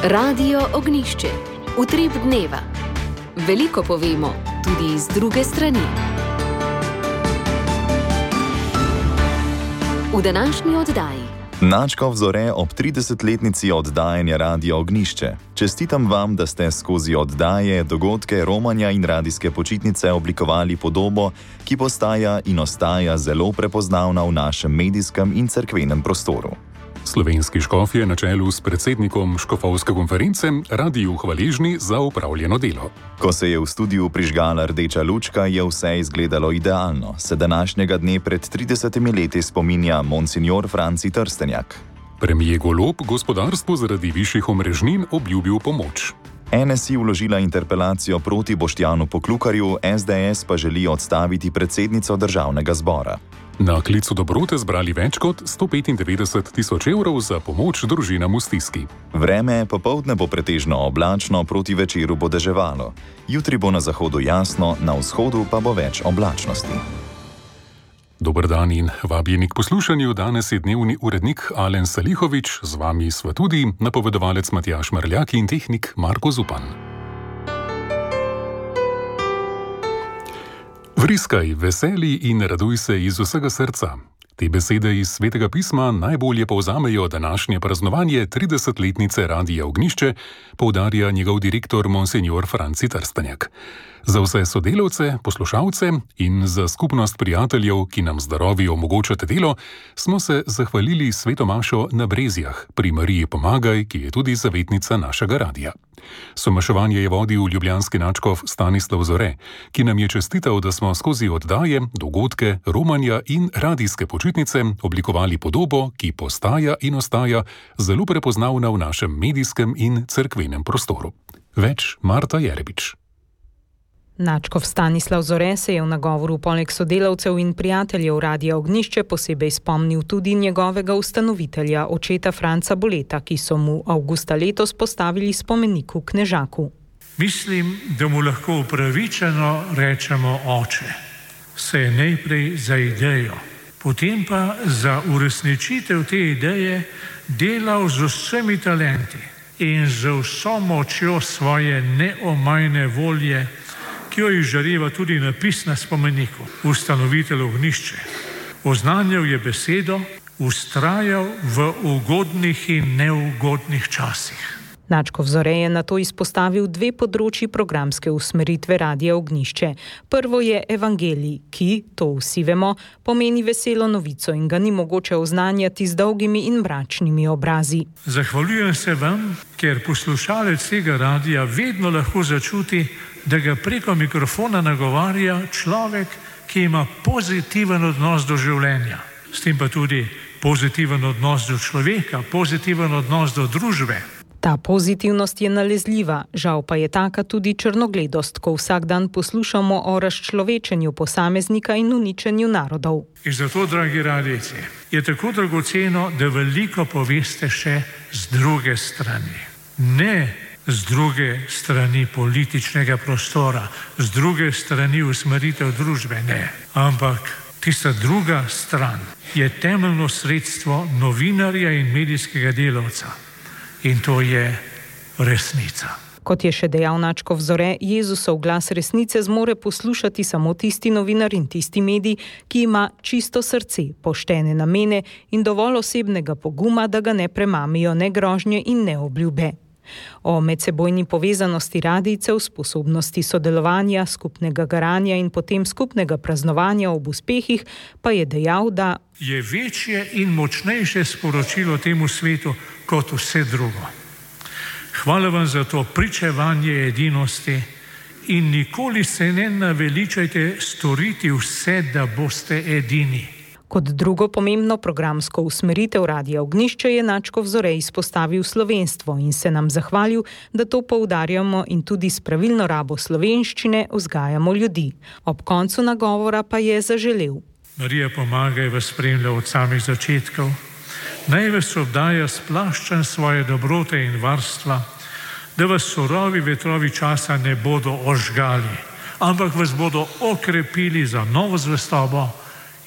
Radio Ognjišče. Utrip dneva. Veliko povemo, tudi iz druge strani. V današnji oddaji. Načkov Zore ob 30-letnici oddajanja Radio Ognjišče. Čestitam vam, da ste skozi oddaje, dogodke, romanja in radijske počitnice oblikovali podobo, ki postaja in ostaja zelo prepoznavna v našem medijskem in cerkvenem prostoru. Slovenski škof je na čelu s predsednikom škofovske konference radiju hvaležni za opravljeno delo. Ko se je v studiu prižgala rdeča lučka, je vse izgledalo idealno. Se današnjega dne pred 30 leti spominja monsignor Franci Trstenjak. Premier Golob gospodarstvu zaradi višjih omrežnin obljubil pomoč. NSI vložila interpelacijo proti Boštjanu Poklukarju, SDS pa želi odstaviti predsednico državnega zbora. Na klicu dobrote zbrali več kot 195 tisoč evrov za pomoč družinam v stiski. Vreme popoldne bo pretežno oblačno, proti večeru bo deževalo. Jutri bo na zahodu jasno, na vzhodu pa bo več oblačnosti. Dober dan in vabljeni k poslušanju. Danes je dnevni urednik Alen Salihovič, z vami sva tudi napovedovalec Matjaž Mrljak in tehnik Marko Zupan. Vriskaj, veseli in raduj se iz vsega srca. Te besede iz Svetega pisma najbolje povzamejo današnje praznovanje 30-letnice Radia Ognjišče, poudarja njegov direktor monsignor Franci Trstenjak. Za vse sodelavce, poslušalce in za skupnost prijateljev, ki nam zdravi omogočate delo, smo se zahvalili sveto mašo na Brezjah pri Mariji Pomagaj, ki je tudi zavetnica našega radija. Somaševanje je vodil ljubljanski nadškof Stanislav Zore, ki nam je čestital, da smo skozi oddaje, dogodke, romanja in radijske počitnice oblikovali podobo, ki postaja in ostaja zelo prepoznavna v našem medijskem in cerkvenem prostoru. Več Marta Jerebič. Nadškof Stanislav Zore se je v nagovoru poleg sodelavcev in prijateljev Radia Ognjišče posebej spomnil tudi njegovega ustanovitelja, očeta Franca Boleta, ki so mu avgusta letos postavili spomenik v Knežaku. Mislim, da mu lahko upravičeno rečemo oče. Se je najprej za idejo, potem pa za uresničitev te ideje delal z vsemi talenti in z vso močjo svoje neomajne volje, ki jo izžareva tudi napis na spomeniku, ustanovitelj Ognjišče. Oznanjal je besedo, vztrajal v ugodnih in neugodnih časih. Nadškof Zore je nato izpostavil dve področji programske usmeritve Radia Ognjišče. Prvo je evangelij, ki, to vsi vemo, pomeni veselo novico in ga ni mogoče oznanjati z dolgimi in mračnimi obrazi. Zahvaljujem se vam, ker poslušalec tega radija vedno lahko začuti, da ga preko mikrofona nagovarja človek, ki ima pozitiven odnos do življenja. S tem pa tudi pozitiven odnos do človeka, pozitiven odnos do družbe. Ta pozitivnost je nalezljiva, žal pa je taka tudi črnogledost, ko vsak dan poslušamo o razčlovečenju posameznika in uničenju narodov. In zato, dragi radijci, je tako dragoceno, da veliko poveste še z druge strani. Ne z druge strani političnega prostora, z druge strani usmeritev družbe, ne. Ampak tista druga stran je temeljno sredstvo novinarja in medijskega delavca. In to je resnica. Kot je še dejal nadškof Zore, Jezusov glas resnice zmore poslušati samo tisti novinar in tisti medij, ki ima čisto srce, poštene namene in dovolj osebnega poguma, da ga ne premamijo ne grožnje in ne obljube. O medsebojni povezanosti radijcev, sposobnosti sodelovanja, skupnega garanja in potem skupnega praznovanja ob uspehih pa je dejal, da je večje in močnejše sporočilo temu svetu kot vse drugo. Hvala vam za to pričevanje edinosti in nikoli se ne naveličajte storiti vse, da boste edini. Kot drugo pomembno programsko usmeritev Radia Ognjišče je nadškof Zore izpostavil slovenstvo in se nam zahvalil, da to poudarjamo in tudi s pravilno rabo slovenščine vzgajamo ljudi. Ob koncu nagovora pa je zaželel: Marija Pomagaj vas spremlja od samih začetkov, naj vas obdaja s plaščem svoje dobrote in varstva, da vas surovi vetrovi časa ne bodo ožgali, ampak vas bodo okrepili za novo zvestobo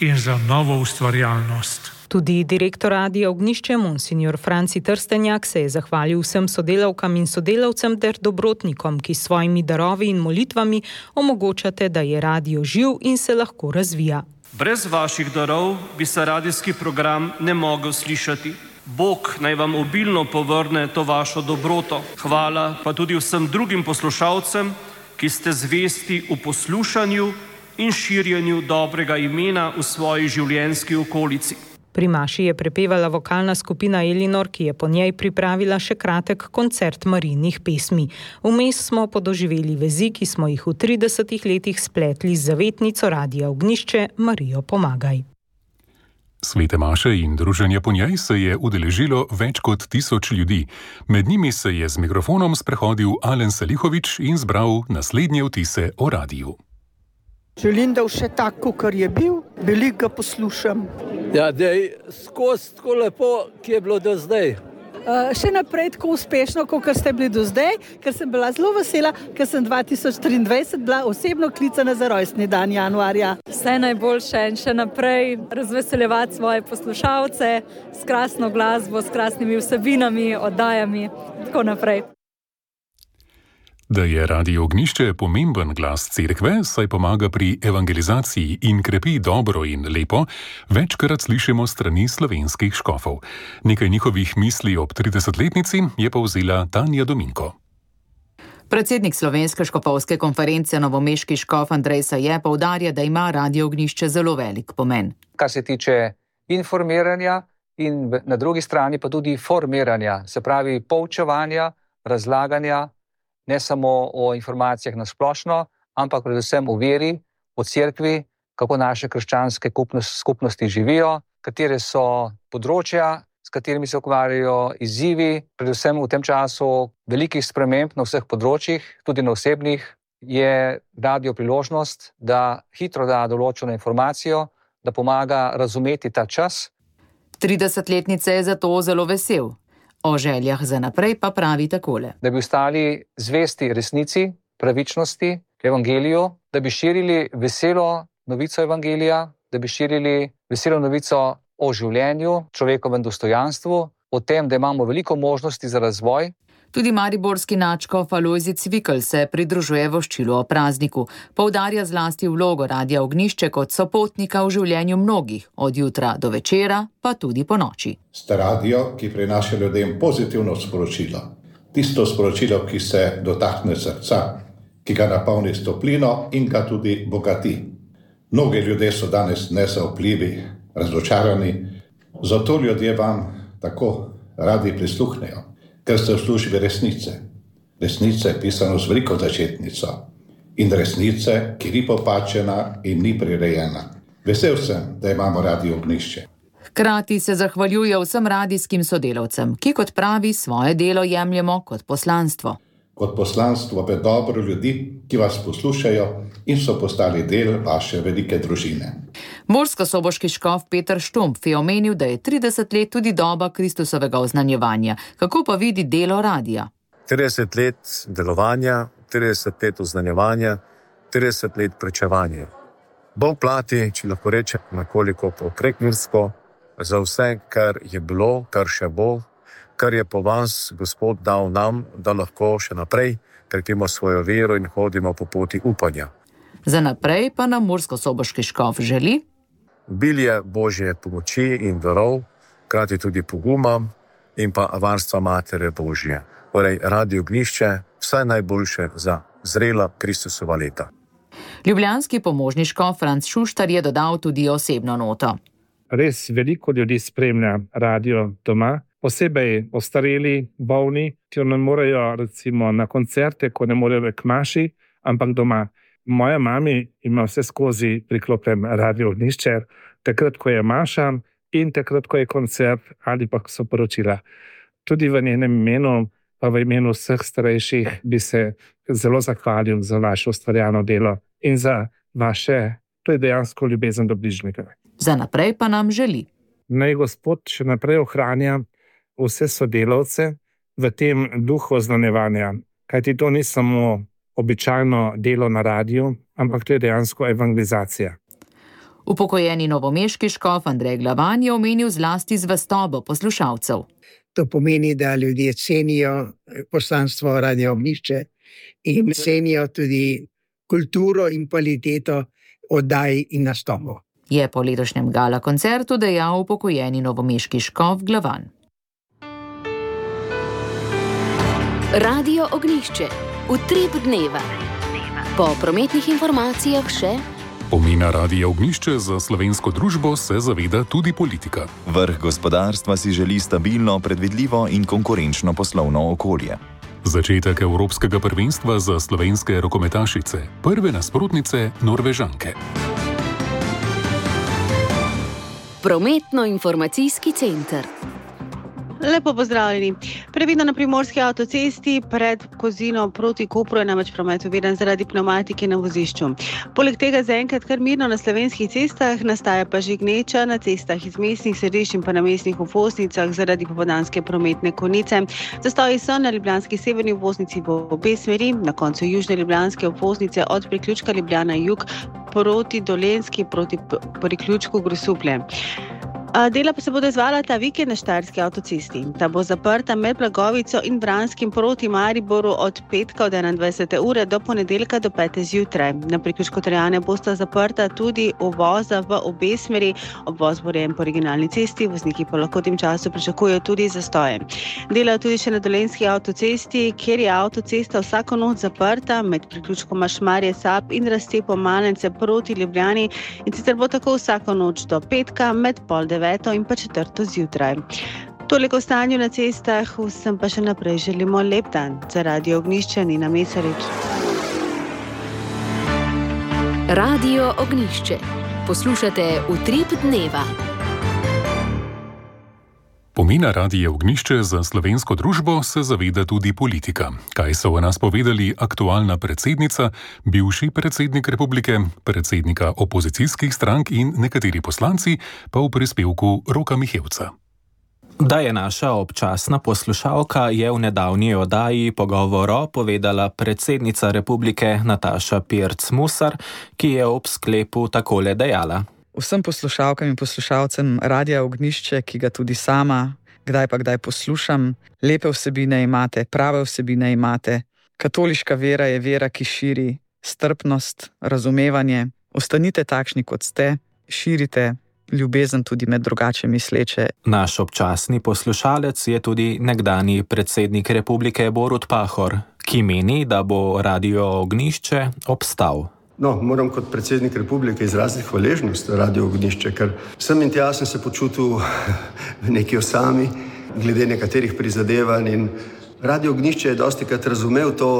in za novo ustvarjalnost. Tudi direktor Radia Ognjišče, monsignor Franci Trstenjak, se je zahvalil vsem sodelavkam in sodelavcem ter dobrotnikom, ki s svojimi darovi in molitvami omogočate, da je radio živ in se lahko razvija. Brez vaših darov bi se radijski program ne mogel slišati. Bog naj vam obilno povrne to vašo dobroto. Hvala pa tudi vsem drugim poslušalcem, ki ste zvesti v poslušanju in širjenju dobrega imena v svoji življenjski okolici. Pri maši je prepevala vokalna skupina Elinor, ki je po njej pripravila še kratek koncert Marijinih pesmi. Vmes smo podoživeli vezi, ki smo jih v 30 letih spletli z zavetnico Radia Ognjišče Marijo Pomagaj. Svete maše in druženja po njej se je udeležilo več kot 1000 ljudi. Med njimi se je z mikrofonom sprehodil Alen Salihovič in zbral naslednje vtise o radiju. Želim, da vse tako, kar je bil, veliko ga poslušam. Ja, da je skozi tako lepo, ki je bilo do zdaj. Še naprej tako uspešno, kot ste bili do zdaj, ker sem bila zelo vesela, ker sem 2023 bila osebno klicana za rojstni dan januarja. Vse najboljše in še naprej razveseljevati svoje poslušalce s krasno glasbo, s krasnimi vsebinami, oddajami, tako naprej. Da je Radio Ognjišče pomemben glas cerkve, saj pomaga pri evangelizaciji in krepi dobro in lepo, večkrat slišimo strani slovenskih škofov. Nekaj njihovih misli ob 30-letnici je povzela Tanja Dominko. Predsednik Slovenske škofovske konference novomeški škof Andrej Saje poudarja, da ima Radio Ognjišče zelo velik pomen. Kar se tiče informiranja in na drugi strani pa tudi formiranja, se pravi poučevanja, razlaganja, ne samo o informacijah na splošno, ampak predvsem o veri, o cerkvi, kako naše krščanske skupnosti živijo, katere so področja, s katerimi se ukvarjajo, izzivi, predvsem v tem času velikih sprememb na vseh področjih, tudi na osebnih, je radio priložnost, da hitro da določeno informacijo, da pomaga razumeti ta čas. 30-letnice je zato zelo vesel. O željah za naprej pa pravi takole. Da bi ostali zvesti resnici, pravičnosti, evangeliju, da bi širili veselo novico evangelija, da bi širili veselo novico o življenju, človekovem dostojanstvu, o tem, da imamo veliko možnosti za razvoj. Tudi mariborski nadškof Alojzij Cvikl se pridružuje voščilu o prazniku. Poudarja zlasti vlogo Radia Ognjišče kot sopotnika v življenju mnogih, od jutra do večera, pa tudi po noči. Ste radio, ki prinaša ljudem pozitivno sporočilo. Tisto sporočilo, ki se dotakne srca, ki ga napolni s toplino in ga tudi bogati. Mnogi ljudje so danes nezaupljivi, razočarani, zato ljudje vam tako radi prisluhnejo. Ker ste v službi resnice. Resnice pisano z veliko začetnico. In resnice, ki ni popačena in ni prirejena. Vesel sem, da imamo Radio Ognjišče. Hkrati se zahvaljuje vsem radijskim sodelavcem, ki kot pravi svoje delo jemljemo kot poslanstvo. Kot poslanstvo v dobro ljudi, ki vas poslušajo in so postali del vaše velike družine. Murskosoboški škof Peter Štumpf je omenil, da je 30 let tudi doba Kristusovega oznanjevanja. Kako pa vidi delo radia? 30 let delovanja, 30 let oznanjevanja, 30 let pričevanja. Bog plati, če lahko rečem, nekoliko prekmursko, za vse, kar je bilo, kar še bo, kar je po vas Gospod dal nam, da lahko še naprej krepimo svojo vero in hodimo po poti upanja. Za naprej pa nam murskosoboški škof želi obilje Božje pomoči in darov, hkrati tudi poguma in pa varstva Matere Božje. Torej, Radio Ognjišče, vse najboljše za zrela Kristusova leta. Ljubljanski pomožni škof Franc Šuštar je dodal tudi osebno noto. Res veliko ljudi spremlja radio doma, posebej ostareli, bolni, ki ne morejo recimo na koncerte, ko ne morejo k maši, ampak doma. Moja mami ima vse skozi priklopljen Radio Ognjišče, takrat, ko je maša in takrat, ko je koncert ali pa so poročila. Tudi v njenem imenu, pa v imenu vseh starejših bi se zelo zahvalil za vaše ustvarjano delo in za vaše, to je dejansko ljubezen do bližnjega. Za naprej pa nam želi. Naj Gospod še naprej ohranja vse sodelavce v tem duhu oznanjevanja, kajti to ni samo običajno delo na radiju, ampak to je dejansko evangelizacija. Upokojeni novomeški škof Andrej Glavan je omenil zlasti zvestobo poslušalcev. To pomeni, da ljudje cenijo poslanstvo Radia Ognjišče in cenijo tudi kulturo in kvaliteto oddaj in nastopov. Je po letošnjem gala koncertu dejal upokojeni novomeški škof Glavan. Radio Ognjišče. Utrip dneva. Po prometnih informacijah še... Pomena Radia Ognjišče za slovensko družbo se zaveda tudi politika. Vrh gospodarstva si želi stabilno, predvidljivo in konkurenčno poslovno okolje. Začetek Evropskega prvenstva za slovenske rokometašice. Prve nasprotnice Norvežanke. Prometno-informacijski center. Lepo pozdravljeni. Previdno na primorski avtocesti pred Kozino proti Kopru je namreč promet oviden zaradi pnevmatike na vozišču. Poleg tega zaenkrat kar mirno na slovenskih cestah, nastaja pa že gneča na cestah iz mestnih središč in pa na mestnih obvoznicah zaradi popoldanske prometne konice. Zastoji so na ljubljanski severni obvoznici v obe smeri, na koncu južne ljubljanske obvoznice od priključka Ljubljana jug proti Dolenjski proti priključku Grosuplje. Dela pa se bodo izvala ta vikend na Štajerski avtocesti. Ta bo zaprta med Blagovico in Vranskim proti Mariboru od petka od 21. ure do ponedeljka do 5. zjutraj. Na priključku Trojane bosta zaprta tudi uvoza v obe smeri. Obvoz bo rejen po originalni cesti, vozniki pa lahko v tem času pričakujejo tudi zastoje. Delajo tudi še na Dolenjski avtocesti, kjer je avtocesta vsako noč zaprta med priključkoma Šmarje Sap in razcepom Malence proti Ljubljani, in sicer bo tako vsako noč do petka med 8:30 in pa 4. zjutraj. Toliko o stanju na cestah, vsem pa še naprej želimo lep dan. Za Radio Ognjišče Nina Mesarič. Radio Ognjišče. Poslušate Utrip dneva. Pomena Radia Ognjišče za slovensko družbo se zaveda tudi politika. Kaj so o nas povedali aktualna predsednica, bivši predsednik republike, predsednika opozicijskih strank in nekateri poslanci, pa v prispevku Roka Mihevca. Da je naša občasna poslušalka, je v nedavni oddaji Pogovoro povedala predsednica republike Nataša Pirc Musar, ki je ob sklepu takole dejala. Vsem poslušalkam in poslušalcem Radia Ognjišče, ki ga tudi sama kdaj pa kdaj poslušam, lepe vsebine imate, prave vsebine imate. Katoliška vera je vera, ki širi strpnost, razumevanje. Ostanite takšni, kot ste, širite ljubezen tudi med drugače misleče. Naš občasni poslušalec je tudi nekdanji predsednik republike Borut Pahor, ki meni, da bo Radio Ognjišče obstal. No, moram kot predsednik republike izraziti hvaležnost Radio Ognjišče, ker sem in tja sem se počutil v neki osami, glede nekaterih prizadevanj, in Radio Ognjišče je dostikrat razumel to,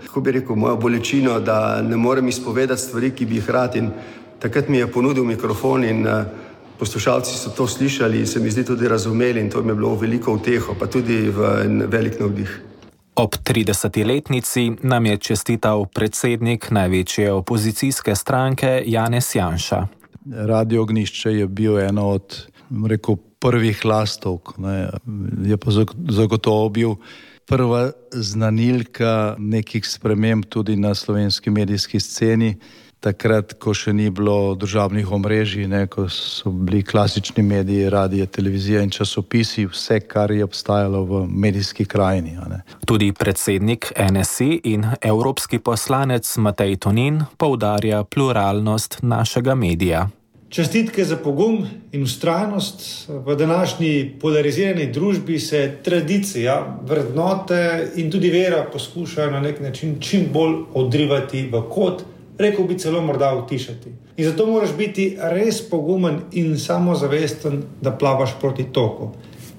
kako bi rekel, mojo bolečino, da ne morem izpovedati stvari, ki bi jih rad, in takrat mi je ponudil mikrofon in poslušalci so to slišali in se mi zdi tudi razumeli, in to mi je bilo veliko uteho, pa tudi v velik navdih. Ob 30-letnici nam je čestital predsednik največje opozicijske stranke Janez Janša. Radio Ognjišče je bil eno od, rekel, prvih lastovk, je pa zagotovo bil prva znanilka nekih sprememb tudi na slovenski medijski sceni. Takrat, ko še ni bilo državnih omrežij, ko so bili klasični mediji, radije, televizija in časopisi, vse, kar je obstajalo v medijski krajini. Tudi predsednik NSI in evropski poslanec Matej Tonin poudarja pluralnost našega medija. Čestitke za pogum in vztrajnost. V današnji polarizirani družbi se tradicija, vrednote in tudi vera poskušajo na nek način čim bolj odrivati v kot, rekel bi celo morda utišati. In zato moraš biti res pogumen in samozavesten, da plavaš proti toku.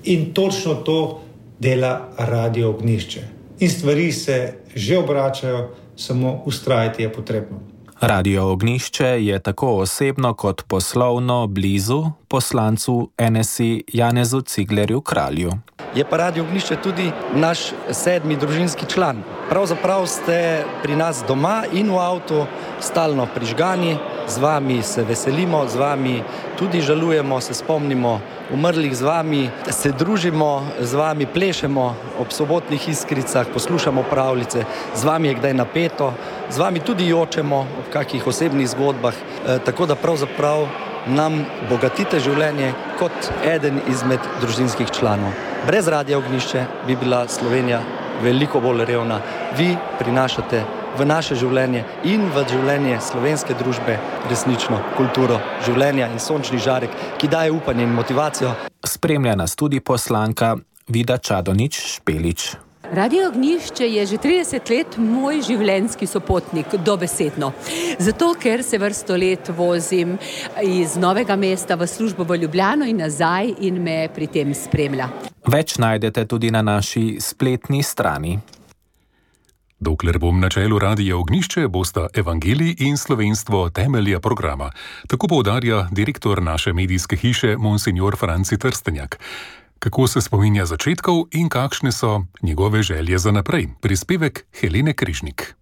In točno to dela Radio Ognjišče. In stvari se že obračajo, samo vztrajati je potrebno. Radio Ognjišče je tako osebno kot poslovno blizu poslancu NSI Janezu Ciglerju Kralju. je pa Radio Ognjišče tudi naš 7. družinski član. Pravzaprav ste pri nas doma in v avtu stalno prižgani, z vami se veselimo, z vami tudi žalujemo, se spomnimo umrlih, z vami se družimo, z vami plešemo ob sobotnih iskricah, poslušamo pravljice, z vami je kdaj napeto, z vami tudi jočemo ob kakih osebnih zgodbah, tako da pravzaprav nam bogatite življenje kot eden izmed družinskih članov. Brez Radia Ognjišče bi bila Slovenija veliko bolj revna. Vi prinašate v naše življenje in v življenje slovenske družbe resnično kulturo življenja in sončni žarek, ki daje upanje in motivacijo. Spremlja nas tudi poslanka Vida Čadonič Špelič. Radio Ognjišče je že 30 let moj življenjski sopotnik, dobesedno. Zato, ker se vrsto let vozim iz Novega mesta v službo v Ljubljano in nazaj in me pri tem spremlja. Več najdete tudi na naši spletni strani. Dokler bom na čelu Radia Ognjišče, bosta evangelij in slovenstvo temelja programa. Tako poudarja direktor naše medijske hiše monsignor Franci Trstenjak. Kako se spominja začetkov in kakšne so njegove želje za naprej? Prispevek Helene Križnik.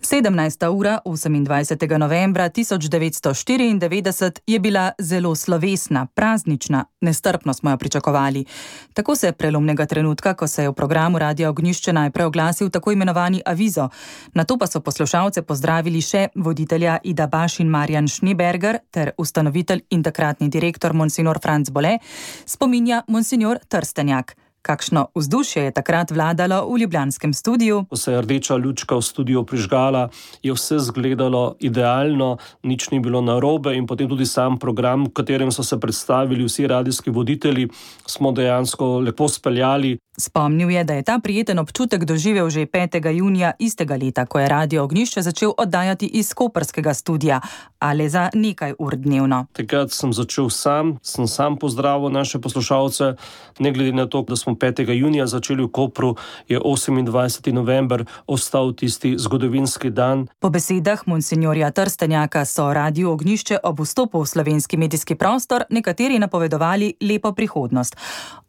17. ura 28. novembra 1994 je bila zelo slovesna, praznična, nestrpno smo jo pričakovali. Tako se prelomnega trenutka, ko se je v programu Radia Ognjišče najprej oglasil tako imenovani avizo, nato pa so poslušalce pozdravili še voditelja Ida Baš in Marjan Schneeberger ter ustanovitelj in takratni direktor monsignor Franc Bole, spominja monsignor Trstenjak. Kakšno vzdušje je takrat vladalo v ljubljanskem studiu? Ko se je rdeča lučka v studiu prižgala, je vse izgledalo idealno, nič ni bilo narobe in potem tudi sam program, v katerem so se predstavili vsi radijski voditelji, smo dejansko lepo speljali. Spomnil je, da je ta prijeten občutek doživel že 5. junija istega leta, ko je Radio Ognjišče začel oddajati iz koprskega studia, ali za nekaj ur dnevno. Takrat sem začel sam pozdravil naše poslušalce, ne glede na to, da smo 5. junija začeli v Kopru, je 28. november ostal tisti zgodovinski dan. Po besedah monsinjorja Trstenjaka so Radio Ognjišče ob vstopu v slovenski medijski prostor nekateri napovedovali lepo prihodnost.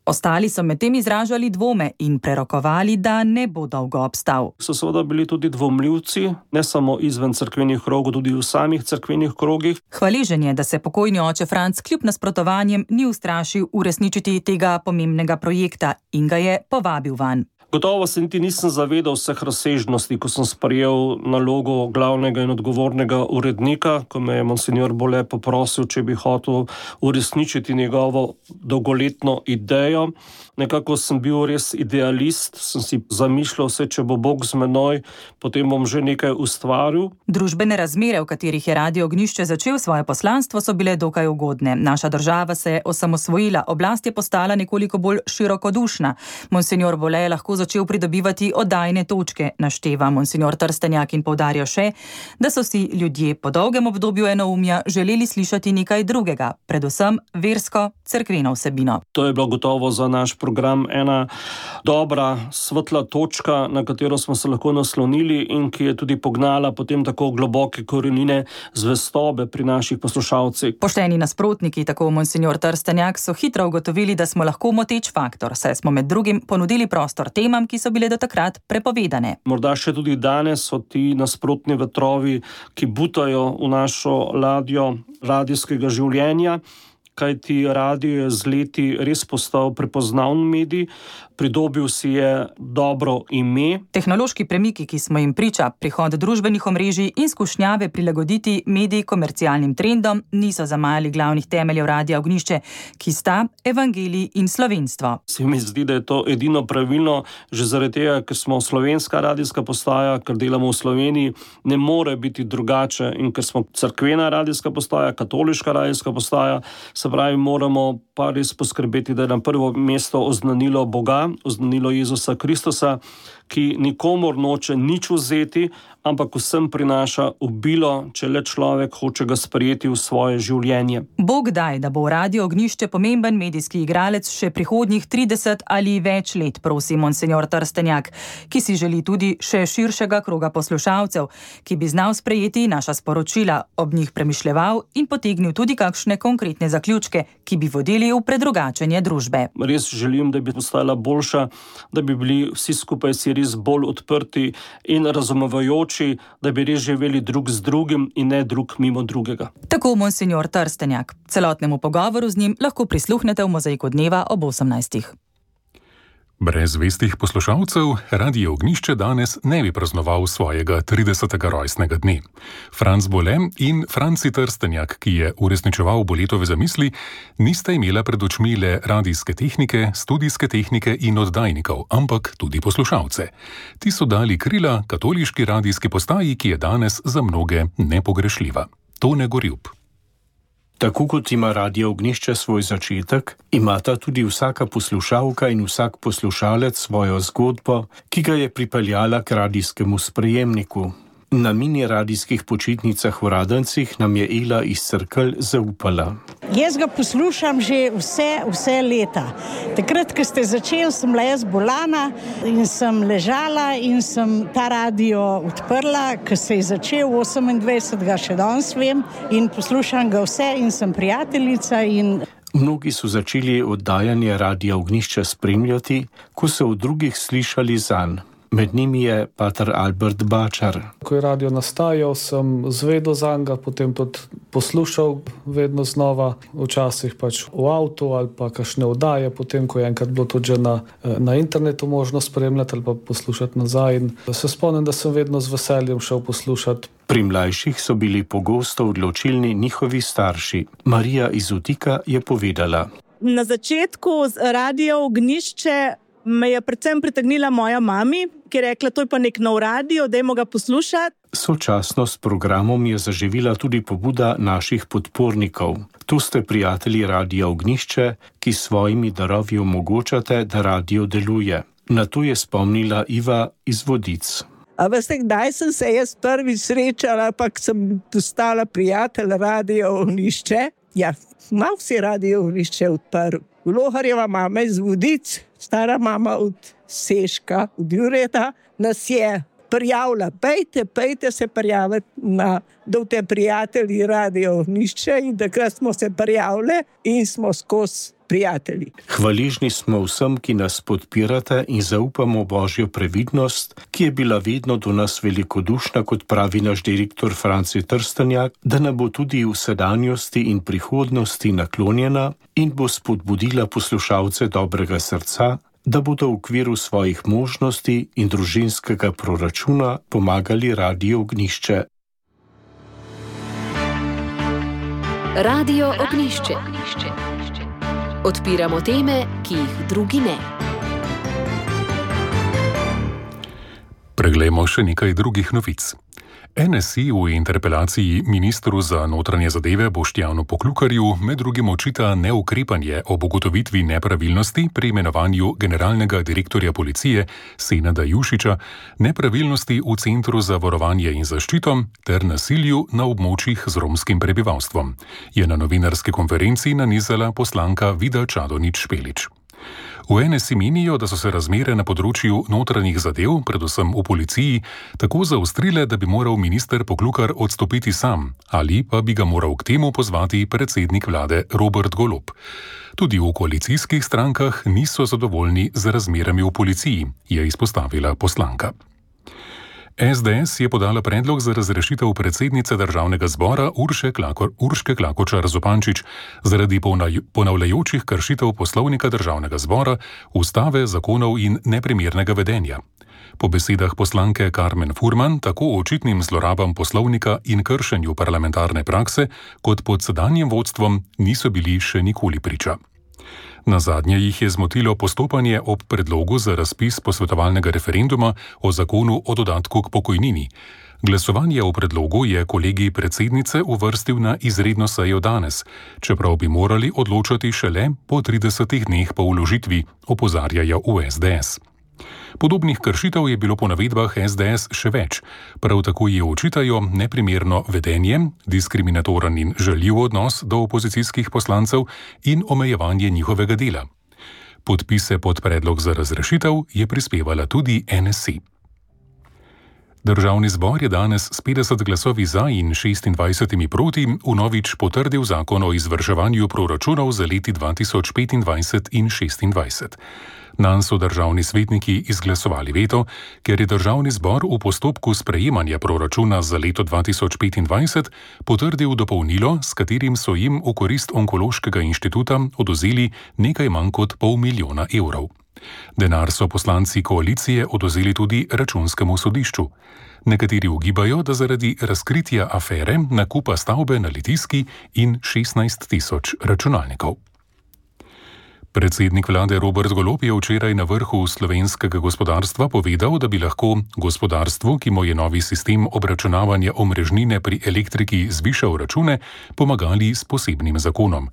Ostali so medtem izražali dvome in prerokovali, da ne bo dolgo obstal. So seveda bili tudi dvomljivci, ne samo izven cerkvenih krogov, tudi v samih cerkvenih krogih. Hvaležen je, da se pokojni oče Franc kljub nasprotovanjem ni ustrašil uresničiti tega pomembnega projekta in ga je povabil vanj. Gotovo se niti nisem zavedal vseh razsežnosti, ko sem sprejel nalogo glavnega in odgovornega urednika, ko me je monsignor Bole poprosil, če bi hotel uresničiti njegovo dolgoletno idejo. Nekako sem bil res idealist, sem si zamišljal vse, če bo Bog z menoj, potem bom že nekaj ustvaril. Družbene razmere, v katerih je Radio Ognjišče začel svoje poslanstvo, so bile dokaj ugodne. Naša država se je osamosvojila, oblast je postala nekoliko bolj širokodušna. Monsignor Bole je lahko začel pridobivati oddajne točke, našteva monsignor Trstenjak in poudarja še, da so si ljudje po dolgem obdobju enoumja želeli slišati nekaj drugega, predvsem versko, cerkveno vsebino. To je bilo gotovo za naš program ena dobra, svetla točka, na katero smo se lahko naslonili in ki je tudi pognala potem tako globoke korenine zvestobe pri naših poslušalcih. Pošteni nasprotniki, tako monsignor Trstenjak, so hitro ugotovili, da smo lahko moteč faktor, saj smo med drugim ponudili prostor temam, ki so bile do takrat prepovedane. Morda še tudi danes so ti nasprotni vetrovi, ki butajo v našo ladjo radijskega življenja, kajti radio je z leti res postal prepoznaven medij, pridobil si je dobro ime. Tehnološki premiki, ki smo jim priča, prihod družbenih omrežij in skušnjave prilagoditi mediji komercialnim trendom, niso zamajali glavnih temeljev Radia Ognjišče, ki sta evangelij in slovenstvo. Se mi zdi, da je to edino pravilno, že zaradi tega, ker smo slovenska radijska postaja, ker delamo v Sloveniji, ne more biti drugače in ker smo cerkvena radijska postaja, katoliška radijska postaja, se pravi, moramo pa res poskrbeti, da je na prvo mesto oznanilo Boga, oznanilo Jezusa Kristusa, ki nikomor noče nič vzeti, ampak vsem prinaša obilo, če le človek hoče ga sprejeti v svoje življenje. Bog daj, da bo Radio Ognjišče pomemben medijski igralec še prihodnjih 30 ali več let, prosi monsenjor Trstenjak, ki si želi tudi še širšega kroga poslušalcev, ki bi znal sprejeti naša sporočila, ob njih premišljeval in potegnil tudi kakšne konkretne zaključke, ki bi vodili v predrugačenje družbe. Res želim, da bi postala boljša, da bi bili vsi skupaj si res bolj odprti in razumevajoči, da bi res živeli drug z drugim in ne drug mimo drugega. Tako monsenjor Trstenjak. Celotnemu pogovoru z njim lahko prisluhnete v Mozaiku dneva ob 18. Brez zvestih poslušalcev Radio Ognjišče danes ne bi praznoval svojega 30. rojstnega dne. Franc Bole in Franci Trstenjak, ki je uresničeval Boletove zamisli, nista imela pred očmi le radijske tehnike, studijske tehnike in oddajnikov, ampak tudi poslušalce. Ti so dali krila katoliški radijski postaji, ki je danes za mnoge nepogrešljiva. Tone Gorjup. Tako kot ima Radio Ognjišče svoj začetek, imata tudi vsaka poslušalka in vsak poslušalec svojo zgodbo, ki ga je pripeljala k radijskemu sprejemniku. Na mini radijskih počitnicah v Radencih nam je Ela iz Cerkelj zaupala. Jaz ga poslušam že vse leta. Takrat, ko ste začeli, sem bila jaz bolana in sem ležala in sem ta radio odprla, ko se je začel 28. še danes vem in poslušam ga vse in sem prijateljica in... Mnogi so začeli oddajanje Radia Ognjišče spremljati, ko so v drugih slišali zanj. Med njimi je pater Albert Bačar. Ko je radio nastajal, sem zvedel zanj, potem tudi poslušal vedno znova, včasih pač v avtu ali pa kakšne oddaje, potem ko je enkrat bilo tudi že na internetu možno spremljati ali pa poslušati nazaj. In se spomnim, da sem vedno z veseljem šel poslušati. Pri mlajših so bili pogosto odločilni njihovi starši. Marija iz Utika je povedala. Na začetku Radio Ognjišče me je predvsem pritegnila moja mami, ki je rekla, to je pa nek nov radio, dajmo ga poslušati. Sočasno s programom je zaživila tudi pobuda naših podpornikov. Tu ste prijatelji Radia Ognjišče, ki s svojimi darovi omogočate, da radio deluje. Na to je spomnila Iva iz Vodic. A veste, kdaj sem se jaz prvič srečala, pa sem postala prijatelj Radio Ognjišče? Ja, malo si Radio Ognjišče odprl. Loharjeva mama iz Vodic, stara mama od Seška, od Jureta, nas je prijavila. Pejte se prijaviti na te prijatelji Radio Ognjišče in takrat smo se prijavili in smo skozi prijatelji. Hvaležni smo vsem, ki nas podpirate in zaupamo Božjo previdnost, ki je bila vedno do nas velikodušna, kot pravi naš direktor Franci Trstenjak, da nam bo tudi v sedanjosti in prihodnosti naklonjena in bo spodbudila poslušalce dobrega srca, da bodo v okviru svojih možnosti in družinskega proračuna pomagali Radio Ognjišče. Radio Ognjišče. Odpiramo teme, ki jih drugi ne. Preglejmo še nekaj drugih novic. NSI v interpelaciji ministru za notranje zadeve Boštjanu Poklukarju med drugim očita neukrepanje ob ugotovitvi nepravilnosti pri imenovanju generalnega direktorja policije Senada Jušića, nepravilnosti v Centru za varovanje in zaščito ter nasilju na območjih z romskim prebivalstvom, je na novinarski konferenci nanizala poslanka Vida Čadonič Špelič. V NSI menijo, da so se razmere na področju notranjih zadev, predvsem v policiji, tako zaostrile, da bi moral minister Poklukar odstopiti sam ali pa bi ga moral k temu pozvati predsednik vlade Robert Golob. Tudi v koalicijskih strankah niso zadovoljni z razmerami v policiji, je izpostavila poslanka. SDS je podala predlog za razrešitev predsednice državnega zbora Urške Klakočar Zupančič zaradi ponavljajočih kršitev poslovnika državnega zbora, ustave, zakonov in neprimernega vedenja. Po besedah poslanke Karmen Furman tako o očitnim zlorabam poslovnika in kršenju parlamentarne prakse, kot pod sedanjim vodstvom niso bili še nikoli priča. Nazadnje jih je zmotilo postopanje ob predlogu za razpis posvetovalnega referenduma o zakonu o dodatku k pokojnini. Glasovanje o predlogu je kolegij predsednice uvrstil na izredno sejo danes, čeprav bi morali odločati šele po 30 dneh po vložitvi, opozarjajo v SDS. Podobnih kršitev je bilo po navedbah SDS še več. Prav tako ji očitajo neprimerno vedenje, diskriminatoren in žaljiv odnos do opozicijskih poslancev in omejevanje njihovega dela. Podpise pod predlog za razrešitev je prispevala tudi NSI. Državni zbor je danes s 50 glasovi za in 26 proti vnovič potrdil zakon o izvrševanju proračunov za leti 2025 in 2026. Nanj so državni svetniki izglasovali veto, ker je državni zbor v postopku sprejemanja proračuna za leto 2025 potrdil dopolnilo, s katerim so jim v korist Onkološkega inštituta odvzeli nekaj manj kot $500 000. Denar so poslanci koalicije odvzeli tudi Računskemu sodišču. Nekateri ugibajo, da zaradi razkritja afere nakupa stavbe na Litijski in 16 000 računalnikov. Predsednik vlade Robert Golob je včeraj na vrhu slovenskega gospodarstva povedal, da bi lahko gospodarstvu, ki mu je novi sistem obračunavanja omrežnine pri elektriki zvišal račune, pomagali s posebnim zakonom.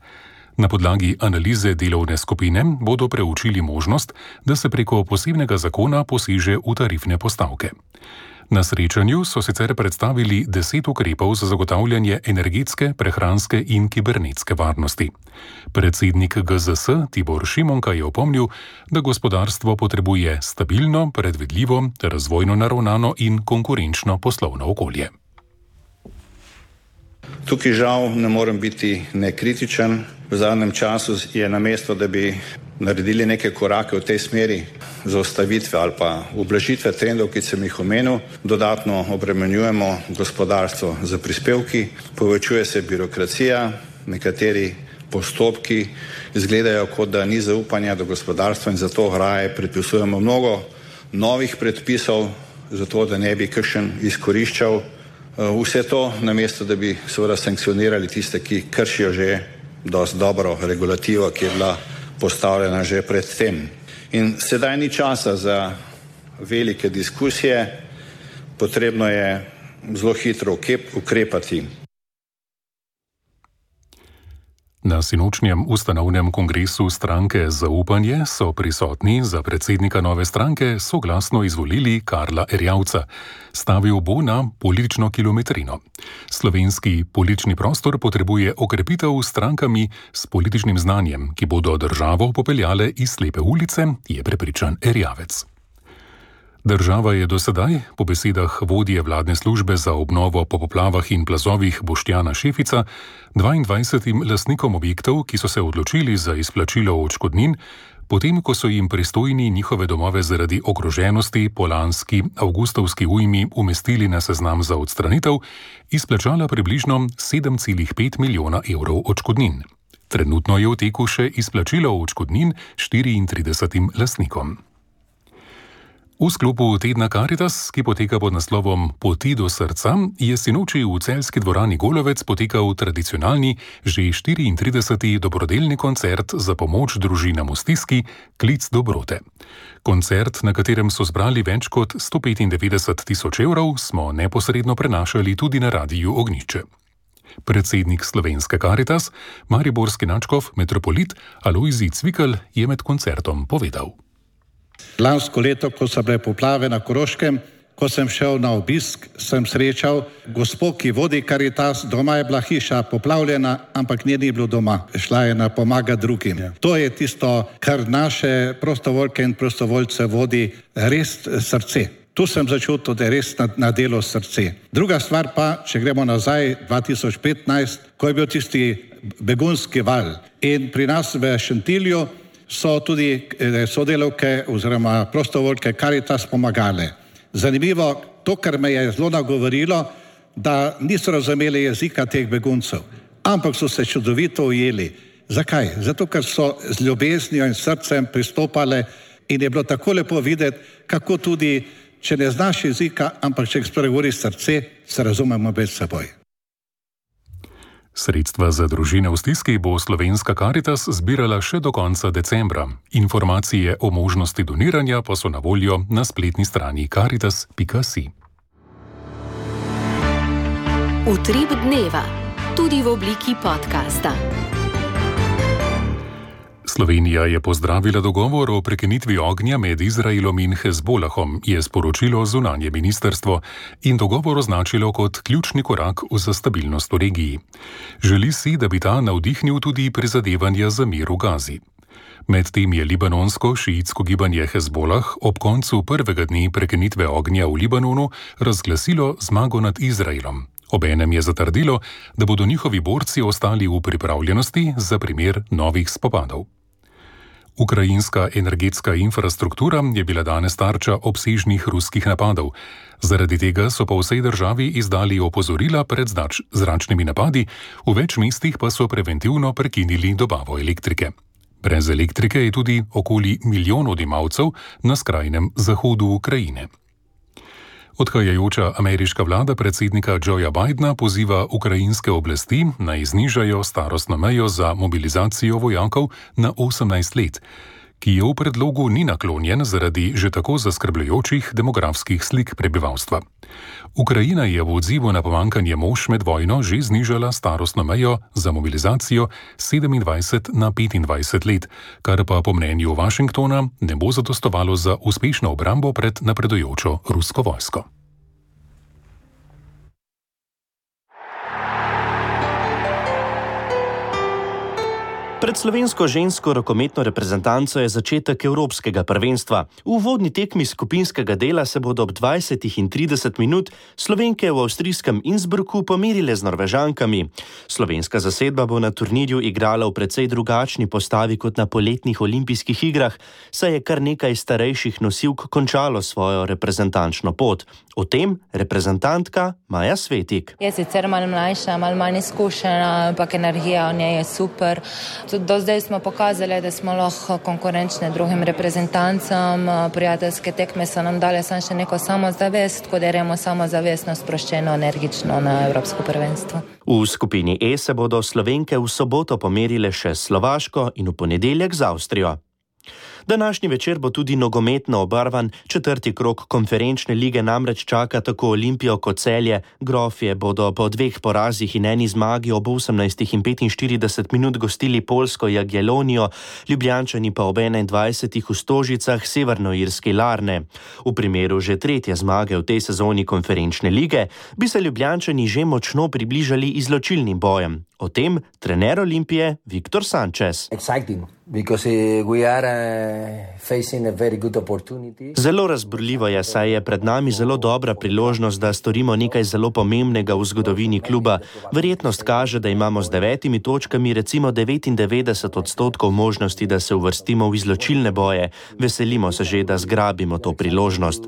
Na podlagi analize delovne skupine bodo preučili možnost, da se preko posebnega zakona poseže v tarifne postavke. Na srečanju so sicer predstavili 10 ukrepov za zagotavljanje energetske, prehranske in kibernetske varnosti. Predsednik GZS Tibor Šimonka je opomnil, da gospodarstvo potrebuje stabilno, predvidljivo, razvojno naravnano in konkurenčno poslovno okolje. Tukaj žal ne morem biti nekritičen. V zadnjem času je namesto, da bi naredili neke korake v tej smeri zaustavitve ali pa ublažitve trendov, ki sem jih omenil, dodatno obremenjujemo gospodarstvo za prispevki, povečuje se birokracija, nekateri postopki izgledajo, kot da ni zaupanja do gospodarstva in zato raje predpisujemo mnogo novih predpisov, zato da ne bi kakšen izkoriščal vse to, namesto da bi seveda sankcionirali tiste, ki kršijo že dosti dobro regulativo, ki je bila postavljena že pred tem. In sedaj ni časa za velike diskusije, potrebno je zelo hitro ukrepati. Na sinočnjem ustanovnem kongresu stranke Zaupanje so prisotni za predsednika nove stranke soglasno izvolili Karla Erjavca. Stavil bo na politično kilometrino. Slovenski politični prostor potrebuje okrepitev s strankami s političnim znanjem, ki bodo državo popeljale iz slepe ulice, je prepričan Erjavec. Država je do sedaj, po besedah vodje vladne službe za obnovo po poplavah in plazovih Boštjana Šefica, 22 lastnikom objektov, ki so se odločili za izplačilo odškodnin, potem ko so jim pristojni njihove domove zaradi ogroženosti po lanski avgustovski ujmi umestili na seznam za odstranitev, izplačala približno 7,5 milijona evrov odškodnin. Trenutno je v teku še izplačilo odškodnin 34 lastnikom. V sklopu tedna Karitas, ki poteka pod naslovom Poti do srca, je sinoči v celjski dvorani Golovec potekal tradicionalni, že 34. dobrodelni koncert za pomoč družinam v stiski Klic dobrote. Koncert, na katerem so zbrali več kot 195 000 evrov, smo neposredno prenašali tudi na Radiu Ognjišče. Predsednik slovenske Karitas, mariborski nadškof metropolit Alojzij Cvikl je med koncertom povedal. Lansko leto, ko so bile poplave na Koroškem, ko sem šel na obisk, sem srečal gospo, ki vodi Karitas, doma je bila hiša poplavljena, ampak nje ni bilo doma. Šla je na pomagati drugim. To je tisto, kar naše prostovoljke in prostovoljce vodi res srce. Tu sem začutil, da je res na delo srce. Druga stvar pa, če gremo nazaj 2015, ko je bil tisti begunski val in pri nas v Šentilju so tudi sodelavke oziroma prostovoljke Karitas pomagale. Zanimivo, to, kar me je zelo nagovorilo, da niso razumeli jezika teh beguncev, ampak so se čudovito ujeli. Zakaj? Zato, ker so z ljubeznijo in srcem pristopale in je bilo tako lepo videti, kako tudi, če ne znaš jezika, ampak če spregovori srce, se razumemo med seboj. Sredstva za družine v stiski bo slovenska Karitas zbirala še do konca decembra. Informacije o možnosti doniranja pa so na voljo na spletni strani karitas.si. Utrip dneva, tudi v obliki podcasta. Slovenija je pozdravila dogovor o prekinitvi ognja med Izraelom in Hezbolahom, je sporočilo zunanje ministrstvo in dogovor označilo kot ključni korak za stabilnost v regiji. Želi si, da bi ta navdihnil tudi prizadevanja za mir v Gazi. Medtem je libanonsko-šiitsko gibanje Hezbolah ob koncu prvega dne prekinitve ognja v Libanonu razglasilo zmago nad Izraelom. Obenem je zatrdilo, da bodo njihovi borci ostali v pripravljenosti za primer novih spopadov. Ukrajinska energetska infrastruktura je bila danes tarča obsežnih ruskih napadov. Zaradi tega so po vsej državi izdali opozorila pred zračnimi napadi, v več mestih pa so preventivno prekinili dobavo elektrike. Brez elektrike je tudi okoli 1 milijon odjemalcev na skrajnem zahodu Ukrajine. Odhajajoča ameriška vlada predsednika Joea Bidena poziva ukrajinske oblasti, naj znižajo starostno mejo za mobilizacijo vojakov na 18 let, ki je v predlogu ni naklonjen zaradi že tako zaskrbljujočih demografskih slik prebivalstva. Ukrajina je v odzivu na pomanjkanje mož med vojno že znižala starostno mejo za mobilizacijo 27 na 25 let, kar pa po mnenju Washingtona ne bo zadostovalo za uspešno obrambo pred napredujočo rusko vojsko. Pred slovensko žensko rokometno reprezentanco je začetek evropskega prvenstva. V uvodni tekmi skupinskega dela se bodo ob 20 in 30 minut Slovenke v avstrijskem Innsbrucku pomerile z Norvežankami. Slovenska zasedba bo na turnirju igrala v precej drugačni postavi kot na poletnih olimpijskih igrah, saj je kar nekaj starejših nosilk končalo svojo reprezentančno pot. O tem reprezentantka Maja Svetik. Je sicer malo mlajša, malo manj izkušena, ampak energija v njej je super. Do zdaj smo pokazali, da smo lahko konkurenčne drugim reprezentancam. Prijateljske tekme so nam dale samo še neko samozavest, ko deremo samozavestno, sproščeno, energično na Evropsko prvenstvo. V skupini E se bodo Slovenke v soboto pomerile še s Slovaško in v ponedeljek z Avstrijo. Današnji večer bo tudi nogometno obarvan. 4. krog konferenčne lige namreč čaka tako Olimpijo kot Celje. Grofje bodo po 2 porazih in 1 zmagi ob 18 in 45 minut gostili Poljsko Jagiellonijo, Ljubljančani pa ob 21 v Stožicah severnoirski Larne. V primeru že 3. zmage v tej sezoni konferenčne lige bi se Ljubljančani že močno približali izločilnim bojem. O tem trener Olimpije Viktor Sanchez. Zelo razburljivo je, saj je pred nami zelo dobra priložnost, da storimo nekaj zelo pomembnega v zgodovini kluba. Verjetnost kaže, da imamo z 9 točkami recimo 99% možnosti, da se uvrstimo v izločilne boje. Veselimo se že, da zgrabimo to priložnost.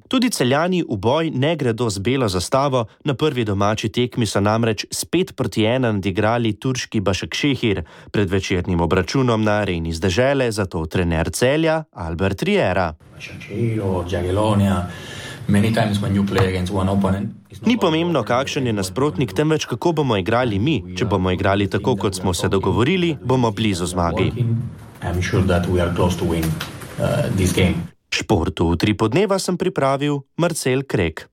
Tudi Celjani v boj ne gredo z belo zastavo. Na prvi domači tekmi so namreč s 5-1 nadigrali turški Başakşehir pred večernim obračunom na areni z dežele, zato trener Celja Albert Riera. Ni pomembno, kakšen je nasprotnik, temveč kako bomo igrali mi. Če bomo igrali tako, kot smo se dogovorili, bomo blizu zmagi. Športu v 3 podneva sem pripravil Marcel Krek.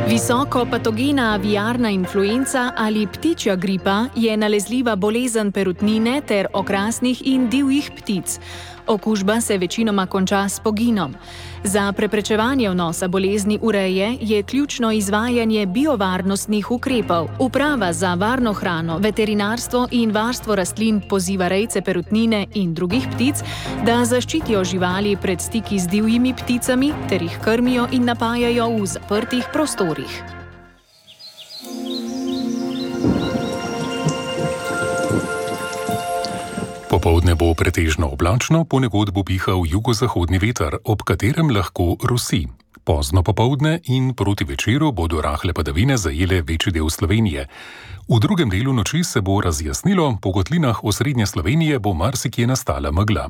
Visoko patogena aviarna influenca ali ptičja gripa je nalezljiva bolezen perutnine ter okrasnih in divjih ptic. Okužba se večinoma konča s poginom. Za preprečevanje vnosa bolezni v reje je ključno izvajanje biovarnostnih ukrepov. Uprava za varno hrano, veterinarstvo in varstvo rastlin poziva rejce perutnine in drugih ptic, da zaščitijo živali pred stiki z divjimi pticami ter jih krmijo in napajajo v zaprtih prostorih. Popoldne bo pretežno oblačno, ponekod bo pihal jugozahodni veter, ob katerem lahko rosi. Pozno popoldne in proti večeru bodo rahle padavine zajele večji del Slovenije. V drugem delu noči se bo razjasnilo, po kotlinah osrednje Slovenije bo marsikje nastala megla.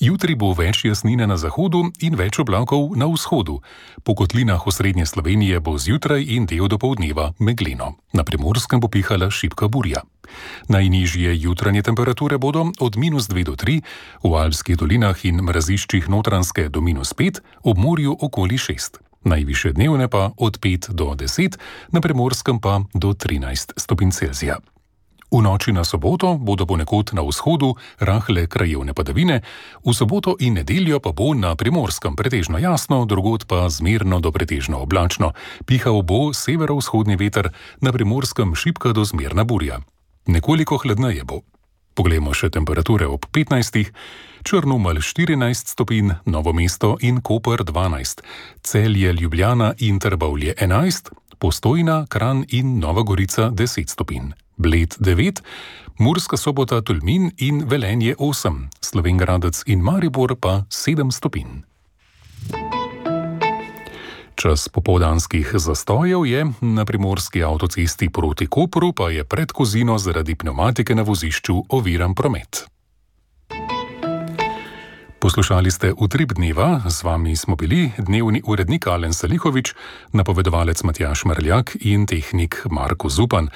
Jutri bo več jasnine na zahodu in več oblakov na vzhodu. Po kotlinah osrednje Slovenije bo zjutraj in del dopoldneva megleno. Na Primorskem bo pihala šibka burja. Najnižje jutranje temperature bodo od -2 do 3, v Alpskih dolinah in mraziščih Notranjske do -5, ob morju okoli 6. najvišje dnevne pa od 5 do 10, na Primorskem pa do 13 stopinj Celzija. V noči na soboto bodo ponekod na vzhodu rahle krajevne padavine, v soboto in nedeljo pa bo na Primorskem pretežno jasno, drugod pa zmerno do pretežno oblačno. Pihal bo severovzhodni veter, na Primorskem šibka do zmerna burja. Nekoliko hladneje bo. Poglejmo še temperature ob 15. Črnomelj 14 stopinj, Novo mesto in Koper 12, Celje, Ljubljana in Trbovlje 11, Postojna, Kranj in Nova Gorica 10 stopinj. Bled 9, Murska Sobota, Tolmin in Velenje 8, Slovenj Gradec in Maribor pa 7 stopinj. Čas popoldanskih zastojev je na primorski avtocesti proti Kopru, pa je pred Kozino zaradi pnevmatike na vozišču oviran promet. Poslušali ste Utrip dneva, z vami smo bili dnevni urednik Alen Salihovič, napovedovalec Matjaž Mrljak in tehnik Marko Zupan.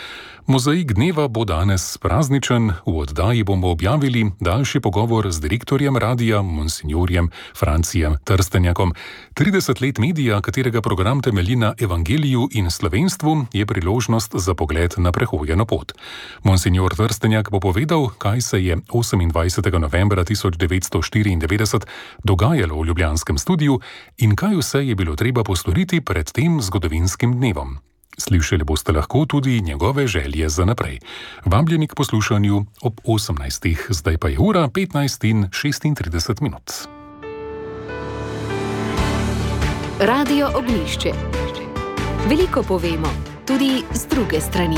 Mozaik dneva bo danes prazničen, v oddaji bomo objavili daljši pogovor z direktorjem radija, monsinjorjem Francijem Trstenjakom. 30 let medija, katerega program temelji na evangeliju in slovenstvu, je priložnost za pogled na prehojeno pot. Monsinjor Trstenjak bo povedal, kaj se je 28. novembra 1994 dogajalo v ljubljanskem studiu in kaj vse je bilo treba postoriti pred tem zgodovinskim dnevom. Slišali boste lahko tudi njegove želje za naprej. Vabljeni k poslušanju ob 18. Zdaj pa je ura 15 in 36 minut. Radio Ognjišče. Veliko povemo, tudi z druge strani.